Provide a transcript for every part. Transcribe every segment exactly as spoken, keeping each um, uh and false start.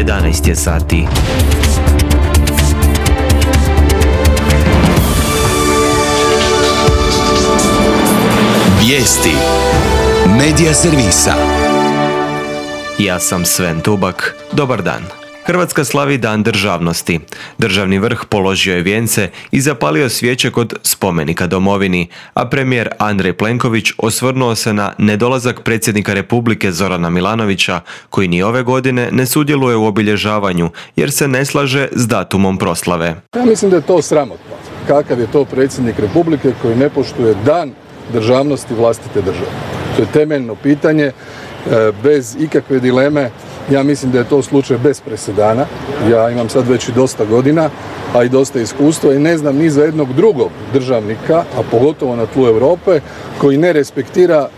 jedanaest je sati. Vijesti Medija servisa. Ja sam Sven Tubak. Dobar dan. Hrvatska slavi Dan državnosti. Državni vrh položio je vijence i zapalio svijeće kod spomenika domovini, a premijer Andrej Plenković osvrnuo se na nedolazak predsjednika Republike Zorana Milanovića, koji ni ove godine ne sudjeluje u obilježavanju jer se ne slaže s datumom proslave. Ja mislim da je to sramotno. Kakav je to predsjednik Republike koji ne poštuje Dan državnosti vlastite države? To je temeljno pitanje, bez ikakve dileme. Ja mislim da je to slučaj bez presedana. Ja imam sad već i dosta godina, a i dosta iskustva i ne znam ni za jednog drugog državnika, a pogotovo na tlu Europe, koji ne respektira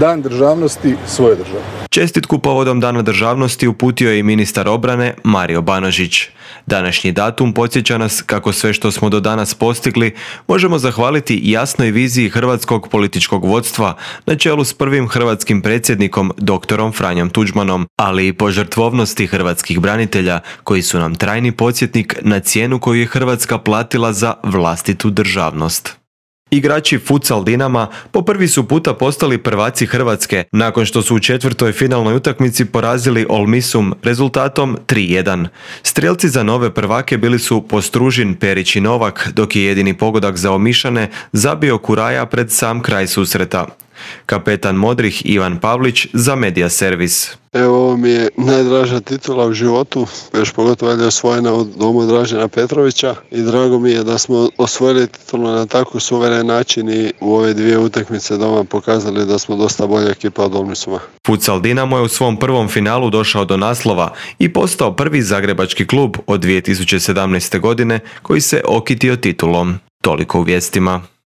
Dan državnosti svoje države. Čestitku povodom Dana državnosti uputio je i ministar obrane Mario Banožić. Današnji datum podsjeća nas kako sve što smo do danas postigli možemo zahvaliti jasnoj viziji hrvatskog političkog vodstva na čelu s prvim hrvatskim predsjednikom doktorom Franjom Tuđmanom, ali i požrtvovnosti hrvatskih branitelja koji su nam trajni podsjetnik na cijenu koju je Hrvatska platila za vlastitu državnost. Igrači futsal Dinama po prvi su puta postali prvaci Hrvatske nakon što su u četvrtoj finalnoj utakmici porazili Olmisum rezultatom tri jedan. Strijelci za nove prvake bili su Postružin, Perić i Novak, dok je jedini pogodak za Omišane zabio Kuraja pred sam kraj susreta. Kapetan Modrih Ivan Pavlić za Medija servis. Evo, ovo mi je najdraža titula u životu, još pogotovo je osvojena od domu Dražena Petrovića i drago mi je da smo osvojili titulu na tako suveren način i u ove dvije utakmice doma pokazali da smo dosta bolja ekipa od Olmisuma. Futsal Dinamo je u svom prvom finalu došao do naslova i postao prvi zagrebački klub od dvije tisuće sedamnaeste godine koji se okitio titulom. Toliko u vijestima.